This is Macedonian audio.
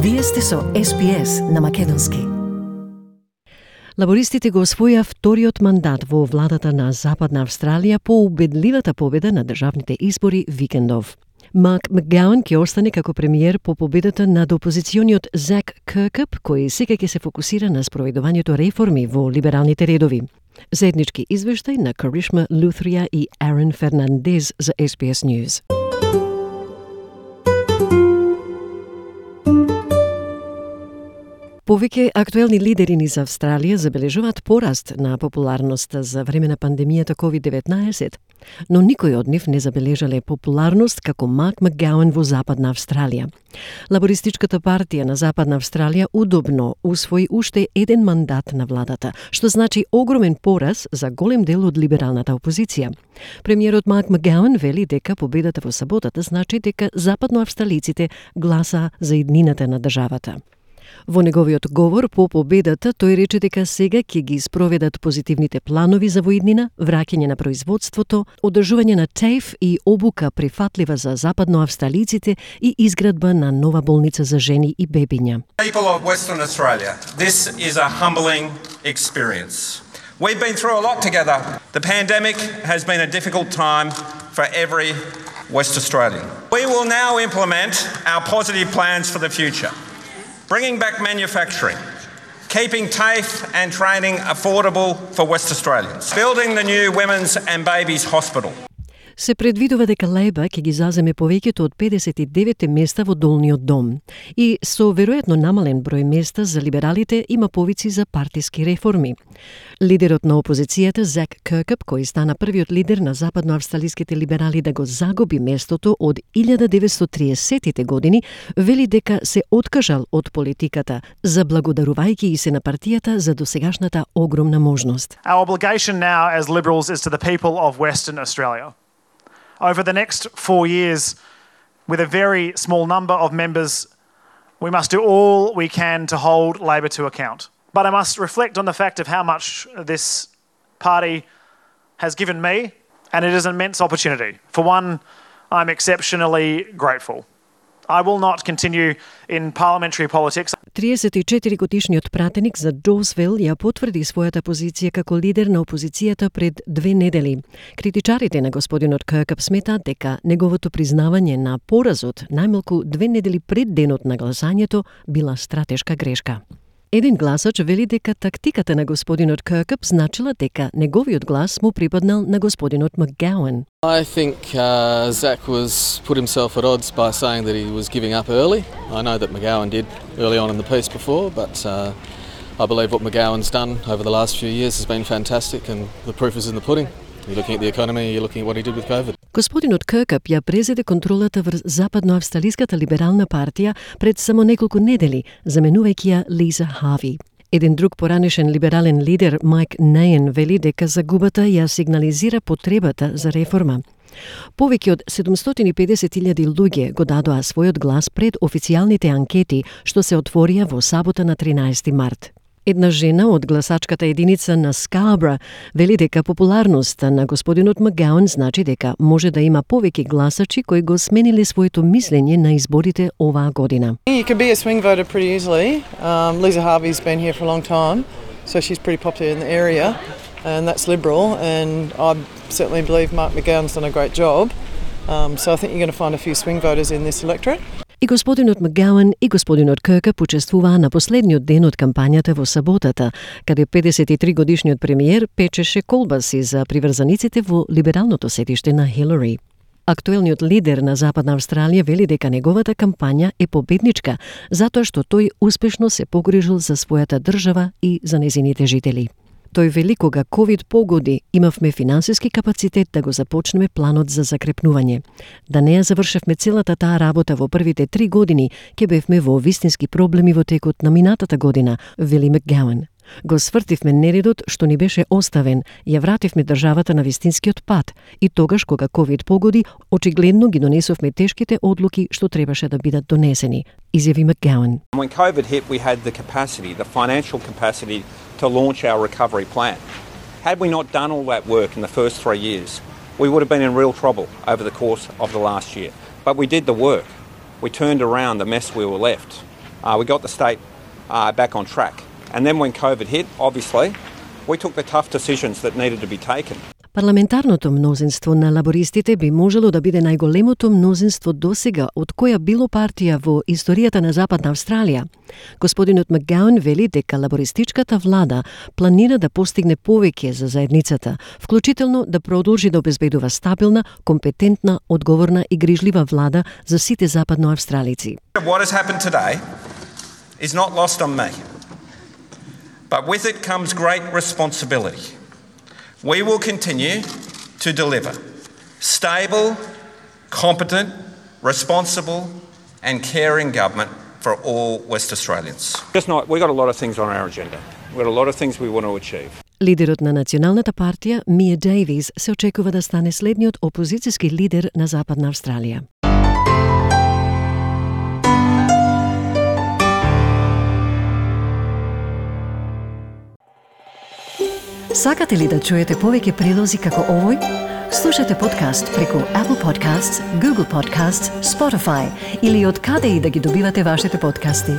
Вие сте со SPS на македонски. Лабористите го освоја вториот мандат во владата на Западна Австралија по убедливата победа на државните избори викендов. Марк Макгауан ќе остане како премиер по победата над опозициониот Зак Киркъп, кој сега ќе се фокусира на спроведувањето реформи во либералните редови. Заеднички извештај на Каришма Лутрија и Арен Фернандез за SBS News. Повеќе актуелни лидери низ Австралија забележуваат пораст на популарноста за време на пандемијата COVID-19, но никој од нив не забележале популарност како Марк Макгауан во Западна Австралија. Лабористичката партија на Западна Австралија удобно усвои уште еден мандат на владата, што значи огромен пораз за голем дел од либералната опозиција. Премиерот Марк Макгауан вели дека победата во саботата значи дека западноавстралиците гласа за иднината на државата. Во неговиот говор по победата, тој рече дека сега ќе ги спроведат позитивните планови за воиднина, враќање на производството, одржување на TAFE и обука прифатлива за западноавстралиците и изградба на нова болница за жени и бебиња. People of Western Australia, this is a humbling experience. We've been through a lot together. The pandemic has been a difficult time for every West Australian. We will now implement our positive plans for the future. Bringing back manufacturing, keeping TAFE and training affordable for West Australians, building the new Women's and Babies Hospital. Се предвидува дека Лейба ќе ги заземе повеќето од 59 места во долниот дом и со веројатно намален број места за либералите има повици за партиски реформи. Лидерот на опозицијата Зак Киркъп, кој стана првиот лидер на западноавстралиските либерали да го загуби местото од 1930-тите години, вели дека се откажал од политиката, заблагодарувајќи и се на партијата за досегашната огромна можност. Our obligation now as Liberals is to the people of Western Australia. Over the next 4 years, with a very small number of members, we must do all we can to hold Labor to account. But I must reflect on the fact of how much this party has given me, and it is an immense opportunity. For one, I'm exceptionally grateful. I will not continue in parliamentary politics. 34-годишниот пратеник за Доусвил ја потврди својата позиција како лидер на опозицијата пред 2 недели. Критичарите на господинот Киркъп сметаат дека неговото признавање на поразот најмалку 2 недели пред денот на гласањето била стратешка грешка. Еден гласач вели дека тактиката на господинот Киркъп значила дека неговиот глас му припаднал на господинот Макгауан. I think Zach was put himself at odds by saying that he was giving up early. I know that McGowan did early on in the piece before, but I believe what McGowan's done over the last few years has been fantastic, and the proof is in the pudding. You're looking at the economy, you're looking at what he did with COVID. Господинот Киркъп ја презеде контролата врз западноавстралиската либерална партија пред само неколку недели, заменувајќи ја Лиза Харви. Еден друг поранешен либерален лидер, Майк Нејен, вели дека загубата ја сигнализира потребата за реформа. Повеќе од 750,000 луѓе го дадоа својот глас пред официјалните анкети што се отворија во сабота на 13 март. Една жена од гласачката единица на Скарбра вели дека популарноста на господинот Макгауан значи дека може да има повеќе гласачи кои го смениле своето мислење на изборите оваа година. You could be a swing voter pretty easily. Lisa Harvey's been here for a long time, so she's pretty popular in the area, and that's Liberal, and I certainly believe Mark Macgowan's done a great job. So I think you're going to find a few swing voters in this electorate. И господинот Макгауан и господинот Киркъп учествуваа на последниот ден од кампањата во саботата, каде 53-годишниот премиер печеше колбаси за приврзаниците во либералното седиште на Хилари. Актуелниот лидер на Западна Австралија вели дека неговата кампања е победничка, затоа што тој успешно се погрижил за својата држава и за нејзините жители. Тој вели кога ковид погоди, имавме финансиски капацитет да го започнеме планот за закрепнување. Да не ја завршевме целата таа работа во првите 3 години, ќе бевме во вистински проблеми во текот на минатата година, вели Макгауан. Го свртивме нередот што ни беше оставен, ја вративме државата на вистинскиот пат и тогаш кога ковид погоди, очигледно ги донесовме тешките одлуки што требаше да бидат донесени, изјави Макгауан. When COVID hit, we had the capacity, the financial capacity to launch our recovery plan. Had we not done all that work in the first 3 years, we would have been in real trouble over the course of the last year. But we did the work. We turned around the mess we were left. We got the state back on track. And then when COVID hit, obviously, we took the tough decisions that needed to be taken. Парламентарното мнозинство на лабористите би можело да биде најголемото мнозинство досега од која било партија во историјата на Западна Австралија. Господинот Макгауан вели дека лабористичката влада планира да постигне повеќе за заедницата, вклучително да продолжи да обезбедува стабилна, компетентна, одговорна и грижлива влада за сите западноавстралици. What has happened today is not lost on me. But with it comes great responsibility. We will continue to deliver stable, competent, responsible and caring government for all West Australians. We've got a lot of things on our agenda. We've got a lot of things we want to achieve. Лидерот на националната партија, Мија Дейвис, се очекува да стане следниот опозицијски лидер на Западна Австралија. Сакате ли да чуете повеќе прилози како овој? Слушате подкаст преку Apple Podcasts, Google Podcasts, Spotify или од каде и да ги добивате вашите подкасти.